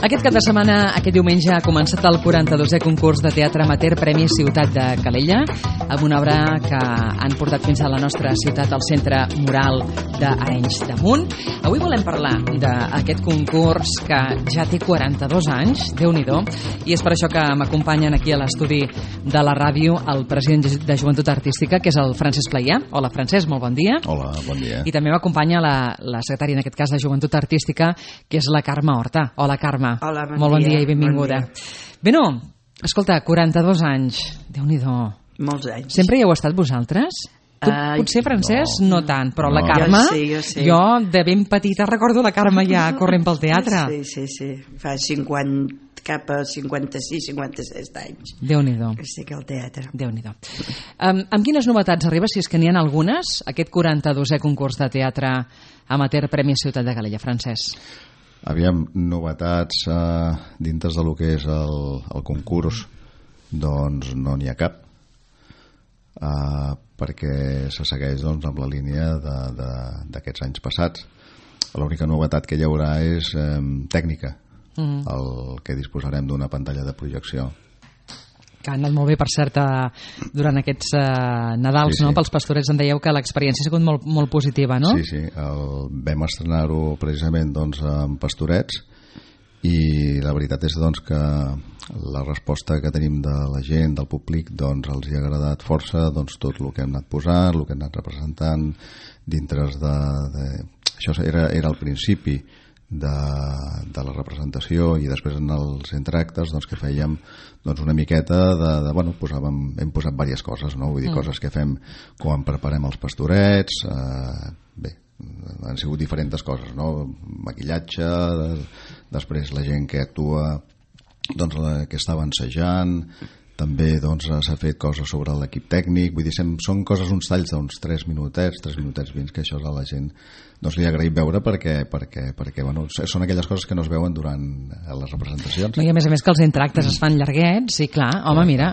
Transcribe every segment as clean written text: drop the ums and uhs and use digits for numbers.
Aquest cap de setmana, aquest diumenge, ha començat el 42è concurs de teatre amateur Premi Ciutat de Calella, amb una obra que han portat fins a la nostra ciutat, al Centre Mural d'Arenys de Munt. Avui volem parlar d'aquest concurs que ja té 42 anys, Déu-n'hi-do, i és per això que m'acompanyen aquí a l'estudi de la ràdio el president de Joventut Artística, que és el Francesc Playà. Hola, Francesc, molt bon dia. Hola, bon dia. I també m'acompanya la secretària, en aquest cas, de Joventut Artística, que és la Carme Horta. Hola, Carme. Hola, molt bon dia i benvinguda. Bé, no, escolta, 42 anys, Déu-n'hi-do. Molts anys. Sempre hi heu estat vosaltres? Tu, potser, Francesc, no tant, però la Carme, jo sí. Jo de ben petita recordo la Carme ja corrent pel teatre. Sí. Fa 50, cap a 56, 56 anys. Déu-n'hi-do. Que estic al teatre. Déu-n'hi-do. Amb quines novetats arriba, si és que n'hi ha algunes, aquest 42è concurs de teatre amateur Premi Ciutat de Calella, Francesc? Aviam, novetats dintre del que és el concurs, doncs no n'hi ha cap, perquè se segueix amb la línia d'aquests anys passats. L'única novetat que hi haurà és tècnica, el que disposarem d'una pantalla de projecció. Que ha anat molt bé, per cert, durant aquests Nadals, sí. No? Pels pastorets em dèieu que l'experiència ha sigut molt, molt positiva, no? Sí, vam estrenar-ho precisament amb pastorets, i la veritat és que la resposta que tenim de la gent, del públic, els hi ha agradat força tot el que hem anat posant, el que hem anat representant dintre això era el principi de la representació, i després en els entreactes que fèiem una miqueta hem posat diverses coses, no? Vull dir, coses que fem quan preparem els pastorets, bé, han sigut diferents coses, no? Maquillatge, després la gent que actua, que estava ensajant, també s'ha fet coses sobre l'equip tècnic, vull dir, són coses, uns talls d'uns 3 minutets 20, que això a la gent li ha agraït veure perquè són aquelles coses que no es veuen durant les representacions. No, i a més que els entreactes es fan llarguets, i clar, home, mira,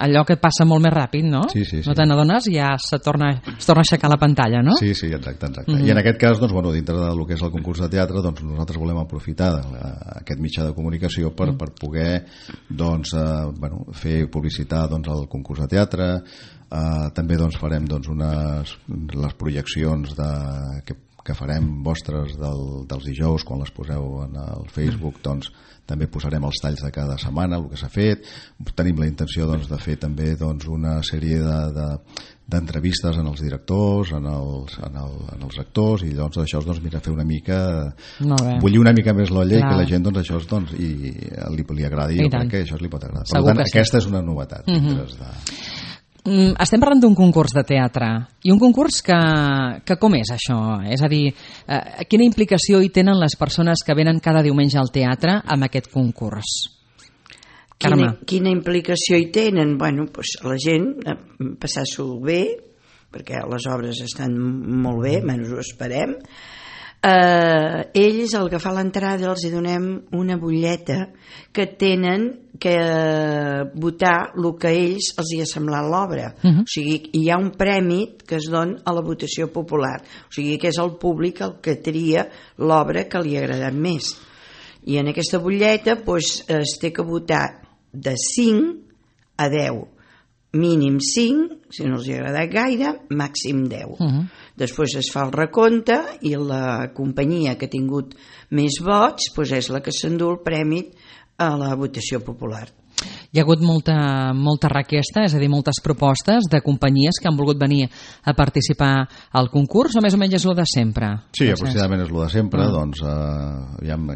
allò que passa molt més ràpid, no? Sí. No te n'adones i ja es torna a aixecar la pantalla, no? Sí, exacte. I en aquest cas, dintre del que és el concurs de teatre, nosaltres volem aprofitar aquest mitjà de comunicació per poder fer publicitar el concurs de teatre. També farem les projeccions que farem vostres dels dijous, quan les poseu en el Facebook, també posarem els talls de cada setmana, el que s'ha fet. Tenim la intenció de fer també una sèrie d'entrevistes en els directors, en els actors, i això fer una mica, bullir una mica més l'olla, i que la gent això li agradi, i jo crec que això li pot agradar. Per tant, aquesta és una novetat. Estem parlant d'un concurs de teatre, i un concurs que com és això? És a dir, quina implicació hi tenen les persones que venen cada diumenge al teatre amb aquest concurs? Quina implicació hi tenen? La gent passar-s'ho bé, perquè les obres estan molt bé, menys ho esperem. Ells, al agafar l'entrada, els donem una butlleta que tenen que votar el que a ells els hi ha semblat l'obra. O sigui, hi ha un premi que es dona a la votació popular, o sigui que és el públic el que tria l'obra que li ha agradat més, i en aquesta butlleta es té que votar de 5 a 10, mínim 5, si no els hi ha agradat gaire, màxim 10. Després es fa el recompte, i la companyia que ha tingut més vots és la que s'endú el premi a la votació popular. Hi ha hagut molta requesta, és a dir, moltes propostes de companyies que han volgut venir a participar al concurs, o més o menys és el de sempre? Sí, aproximadament és el de sempre.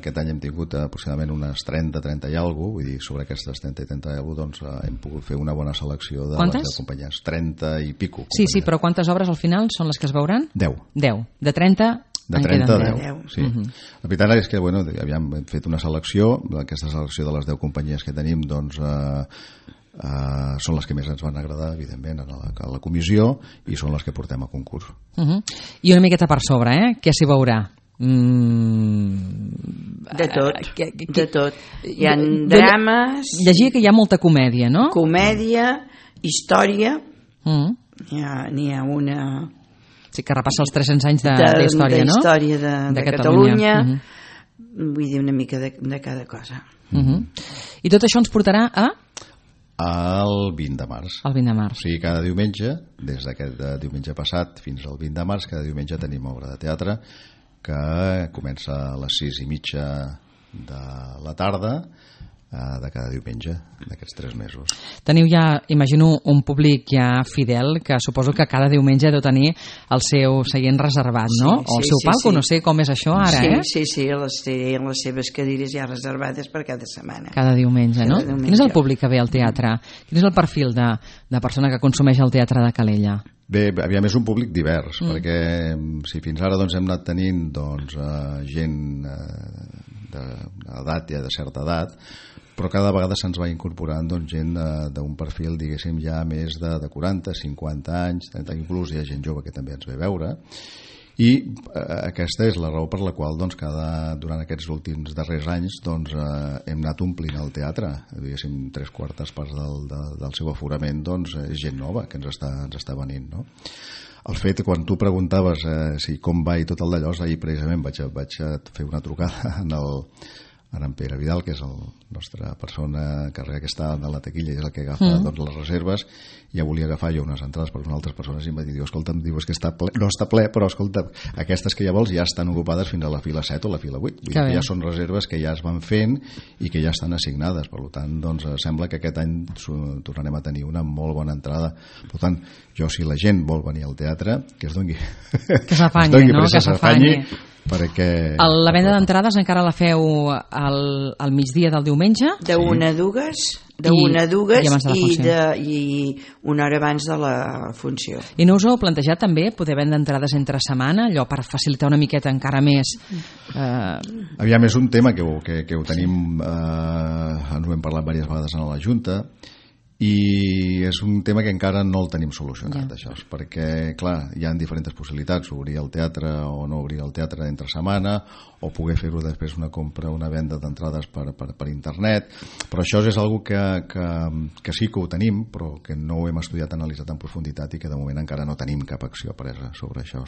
Aquest any hem tingut aproximadament unes 30 i alguna cosa, vull dir, sobre aquestes 30 i alguna cosa, hem pogut fer una bona selecció de les companyies. 30 i pico. Sí, però quantes obres al final són les que es veuran? 10. De 30... De 30 a 10, sí. La veritat és que hem fet una selecció, aquesta selecció de les 10 companyies que tenim són les que més ens van agradar, evidentment, a la comissió, i són les que portem a concurs. I una miqueta per sobre, què s'hi veurà? De tot. Hi ha drames... Llegia que hi ha molta comèdia, no? Comèdia, història, n'hi ha una... Sí, que repassa els 300 anys d'història, no? D'història de Catalunya. vull dir, una mica de cada cosa. I tot això ens portarà a? El 20 de març. El 20 de març. O sigui, cada diumenge, des d'aquest diumenge passat fins al 20 de març, cada diumenge tenim obra de teatre que comença a les 6:30 de la tarda de cada diumenge d'aquests 3 mesos. Teniu ja, imagino, un públic ja fidel que suposo que cada diumenge deu tenir el seu seient reservat, no? O el seu palco, no sé com és això ara, Sí, les seves cadires ja reservades per cada setmana. Cada diumenge, no? Quin és el públic que ve al teatre? Quin és el perfil de persona que consumeix el teatre de Calella? Bé, aviam, és un públic divers, perquè si fins ara doncs, hem anat tenint gent d'edat, ja de certa edat, però cada vegada se'ns va incorporant gent d'un perfil, diguéssim, ja més de 40, 50 anys, 30, inclús hi ha gent jove que també ens ve a veure, i aquesta és la raó per la qual durant aquests últims darrers anys hem anat omplint el teatre, diguéssim, 3/4 parts del seu aforament és gent nova que ens està venint, no? El fet, quan tu preguntaves com va i tot el d'allò, ahir precisament vaig fer una trucada en Pere Vidal, que és la nostra persona que està a la taquilla i és el que agafa les reserves. Ja volia agafar jo unes entrades per unes altres persones i em va dir, escolta'm, és que no està ple, però escolta, aquestes que ja vols ja estan ocupades fins a la fila 7 o la fila 8. Vull dir que ja són reserves que ja es van fent i que ja estan assignades. Per tant, sembla que aquest any tornarem a tenir una molt bona entrada. Per tant, si la gent vol venir al teatre, que es doni que s'afanyi, no? Que s'afanyi. Perquè... La venda d'entrades encara la feu al migdia del diumenge? De 1 a 2 i una hora abans de la funció. I no us heu plantejat també poder vendre entrades entre setmana, allò per facilitar una miqueta encara més? Aviam, és un tema que ho tenim, ens ho hem parlat diverses vegades a la Junta, i és un tema que encara no el tenim solucionat, això, perquè, clar, hi ha diferents possibilitats, obrir el teatre o no obrir el teatre entre setmana, o poder fer-ho després una compra, una venda d'entrades per internet, però això és algo que sí que ho tenim, però que no ho hem estudiat, analitzat en profunditat i que de moment encara no tenim cap acció presa sobre això.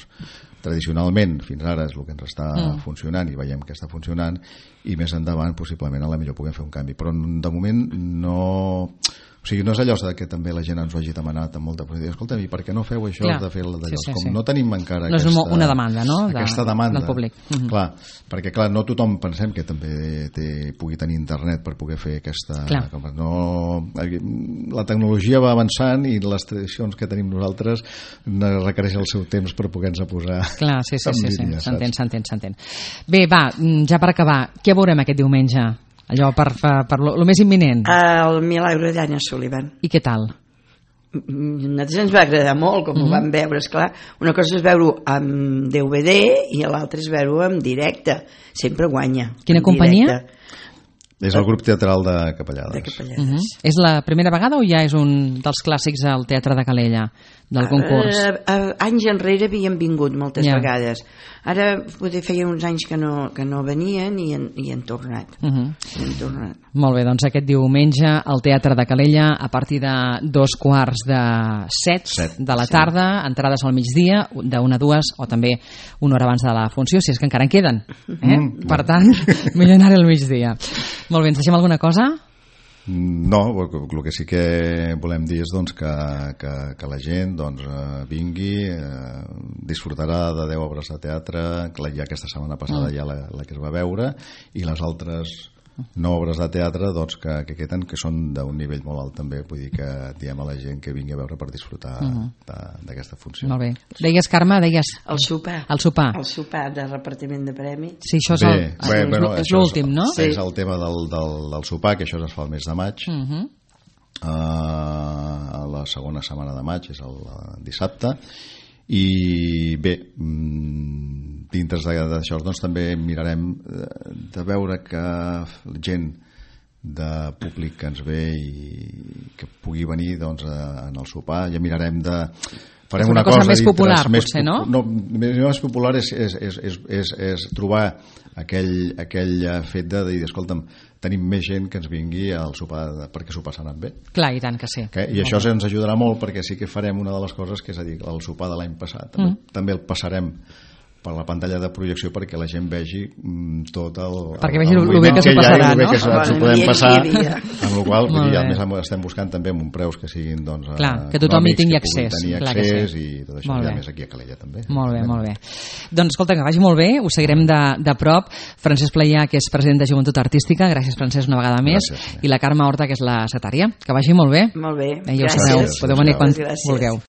Tradicionalment, fins ara és el que ens està funcionant i veiem que està funcionant, i més endavant possiblement a la millor puguem fer un canvi, però de moment no... O sigui, no és allò que també la gent ens ho hagi demanat amb molta posició. Escolta'm, i per què no feu això de fer d'allò? Com no tenim encara no és una demanda, no? Aquesta demanda del públic. Clar, perquè clar, no tothom pensem que també pugui tenir internet per poder fer aquesta... La tecnologia va avançant i les tradicions que tenim nosaltres requereixen el seu temps per poder-nos posar en línia. S'entén. Bé, va, ja per acabar, què veurem aquest diumenge? Allò per lo més imminent. El Milagro d'Anna Sullivan. I què tal? A nosaltres ens va agradar molt, com ho vam veure, esclar. Una cosa és veure-ho amb DVD i l'altra és veure-ho en directe. Sempre guanya. Quina companyia? És el grup teatral de Capellades. De Capellades. És la primera vegada o ja és un dels clàssics al Teatre de Calella, del concurs? Anys enrere havien vingut moltes vegades. Ara potser feien uns anys que no venien i han tornat. Molt bé, doncs aquest diumenge al Teatre de Calella a partir de 6:45 de la tarda, entrades al migdia, de 1 a 2 o també una hora abans de la funció, si és que encara en queden. Per tant, millor anar al migdia. Molt bé, ens deixem alguna cosa? No, el que sí que volem dir és que la gent vingui, disfrutarà de 10 obres de teatre, ja aquesta setmana passada ja la que es va veure, i les altres 9 obres de teatre que queden, que són d'un nivell molt alt també, vull dir que diem a la gent que vingui a veure per disfrutar d'aquesta funció. Molt bé. Deies, Carme, El sopar. El sopar de repartiment de premis. Sí, això és l'últim, no? És el tema del sopar, que això es fa el mes de maig. A la segona setmana de maig, és el dissabte. I bé, dintre d'això també mirarem de veure que gent de públic que ens ve i que pugui venir en el sopar, ja mirarem de... Farem una cosa més popular, potser, no? No, més popular és trobar aquell fet de dir, escolta'm, tenim més gent que ens vingui al sopar perquè s'ho passaran bé. Clar, i tant que sí. I això ens ajudarà molt perquè sí que farem una de les coses que és a dir, el sopar de l'any passat també el passarem per la pantalla de projecció perquè la gent vegi tot el perquè vegi el bé que s'ho passarà, no? Que s'ho podem passar, amb la qual cosa a més estem buscant també amb preus que siguin que tothom hi tingui accés, i tot això, a més aquí a Calella també. Molt bé. Doncs escolta, que vagi molt bé, ho seguirem de prop. Francesc Playà, que és president de Joventut Artística, gràcies Francesc una vegada més, i la Carme Horta, que és la secretària. Que vagi molt bé. Molt bé, ja ho sabeu, podeu venir quan vulgueu.